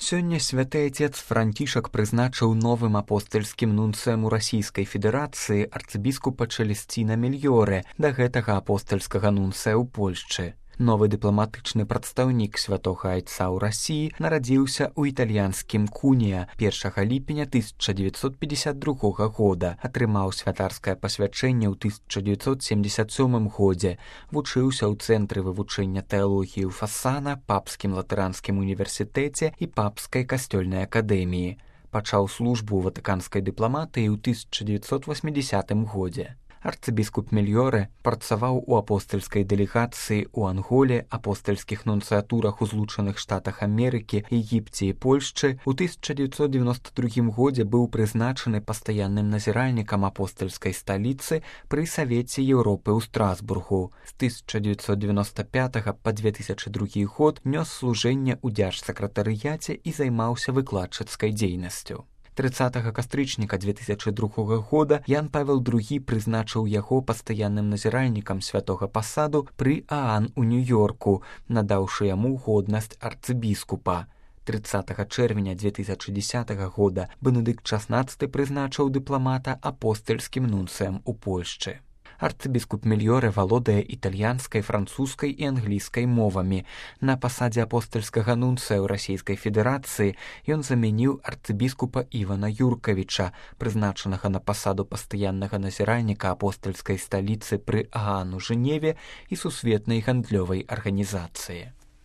Сёння святы отец Францішак прызначыў новым апостальскім нунцыем у Расійскай Федэрацыі арцыбіскупа Чэлесціна Мільёрэ, да гэтага апостальскага нунцыя ў Польшчы. Новы дыпламатычны прадстаўнік святога айца ў Расіі нарадзіўся ў італьянскім Кунія 1 ліпеня 1952 года, атрымаў святарскае пасвячэнне ў 1977 годзе, вучыўся ў Цэнтры вывучэння тэалогіі ў Фасана, Папскім латэранскім універсітэце і Папскай касцёльнай акадэміі. Пачаў службу ў ватыканскай дыпламатыі ў 1980 годзе. Арцыбіскуп Мільёрэ працаваў у апостальскай дэлегацыі ў Анголе, апостальскіх нунцыятурах у Злучаных Штатах Амерыкі, Егіпце і Польшчы. У 1992 годзе быў прызначаны пастаянным назіральнікам апостальскай сталіцы пры Савеце Еўропы ў Страсбургу. З 1995 па 2002 год нёс служэнне ў дзяржсакратарыяце і займаўся выкладчыцкай дзейнасцю. 30 кастрычніка 2002 года Ян Павел II прызначыў яго пастаянным назіральнікам святога пасаду пры Аан у Нью-Йорку, надаўшы яму годнасць арцыбіскупа. 30 чэрвеня 2010 года Бенедыкт XVI прызначыў дыпламата апостальскім нунцыем у Польшчы. Арцыбіскуп Мільёрэ валодае італьянскай, французскай і англійскай мовамі. На пасадзе апостальскага нунцыя ў Расійскай Федэрацыі ён замяніў арцыбіскупа Івана Юркавіча, прызначанага на пасаду пастаяннага назіральніка апостальскай сталіцы пры Аан у Жэневе і сусветнай гандлёвай арганізацыі.